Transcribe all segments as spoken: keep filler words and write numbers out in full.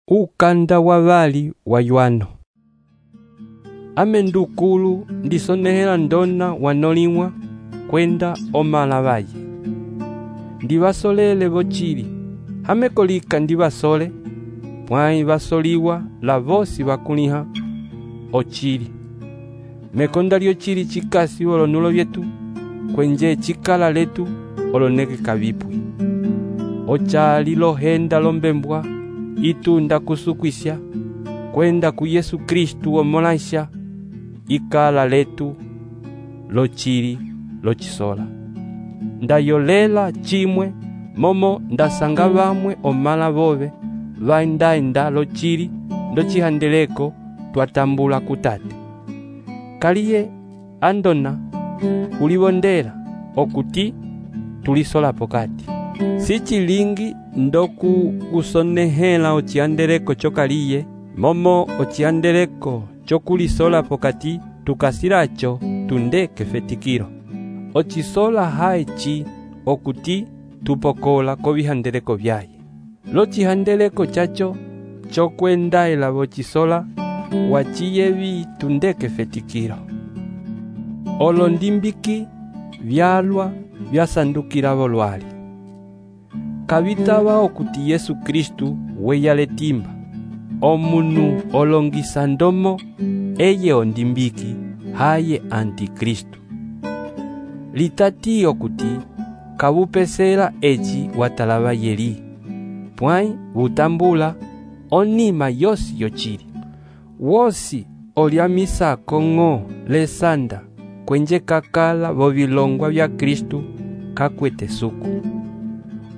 Ukanda wa vali wa Yohano. Ame ndukulu ndisonehela ndona wanoliwa kwenda omala vaye. Ndivasolele vochili, hamekolika ndivasole, pwai vasoliwa la vosi vakuliha ochili. Mekonda lyo chili chikasi olonulo vyetu, kwenje chikala letu oloneke kavipwi. Ochali lohenda lombembwa, itunda kusukwisya, kwenda ku Yesu Kristu omolaisha, ikala letu lochili lochisola. Ndayolela chimwe, momo ndasanga vamwe omala vove, vaindaenda lochili, ndochihandeleko twatambula kutate. Kaliye andona, ulivondela, okuti tulisola pokati. Sichilingi ndoku usonehela ochiandeleko chokaliye, momo ochiandeleko chokulisola pokati tukasilacho tundeke fetikiro. Ochisola haichi okuti tupokola kovihandeleko vyaye. Lochihandeleko chacho chokwendaela vochisola wachiyevi tundeke fetikiro. Olondimbiki vyalwa vyasandukila volwali. Kavitava okuti Yesu Kristu weyale timba. Omunu olongisa ndomo eye ondimbiki haye antikristu. Litati okuti kavupesela echi watalava yeli. Pwai vutambula onima yosi yochili. Wosi oliamisa kongo lesanda kwenje kakala vovilongwa vya Kristu kakwete suku.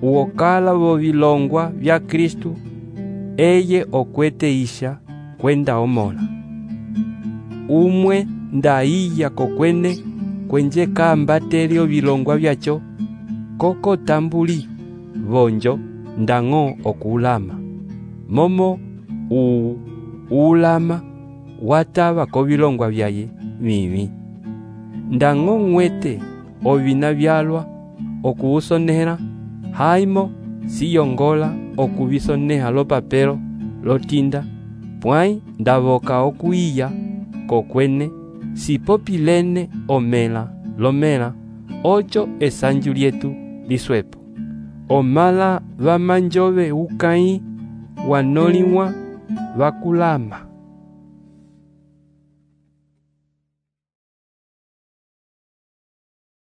Uokala vovilongwa vya Kristu eye okwete isha kwenda omola. Umwe ndaiya kokwene kwenje kambatelio vilongwa vyacho koko tambuli vonjo ndango okulama. Momo u ulama watava kovilongwa vyaye vivi. Ndango mwete ovina vyalwa okuusonehela haimo siyongola okuvisoneha lo papelo lotinda, pwai ndavoka okuiya kokwene sipopilene omela lomela ocho esanju lietu liswepo. Omala vamanjove ukai wanoliwa vakulama.